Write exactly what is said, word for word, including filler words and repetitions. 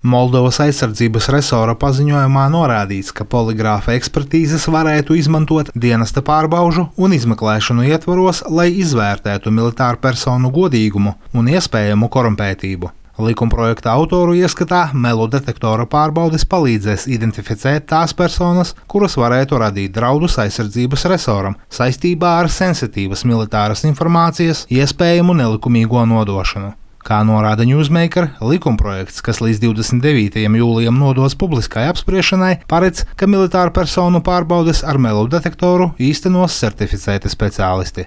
Moldovas aizsardzības resora paziņojumā norādīts, ka poligrāfa ekspertīzes varētu izmantot dienesta pārbaužu un izmeklēšanu ietvaros, lai izvērtētu militāru personu godīgumu un iespējamu korumpētību. Likumprojekta autoru ieskatā melu detektora pārbaudes palīdzēs identificēt tās personas, kuras varētu radīt draudus aizsardzības resoram saistībā ar sensitīvas militāras informācijas iespējamu nelikumīgo nodošanu. Kā norāda Newsmaker, likumprojekts, kas līdz divdesmit devītajam jūlijam nodos publiskai apspriešanai, paredz, ka militāru personu pārbaudes ar melu detektoru īstenos certificēti speciālisti.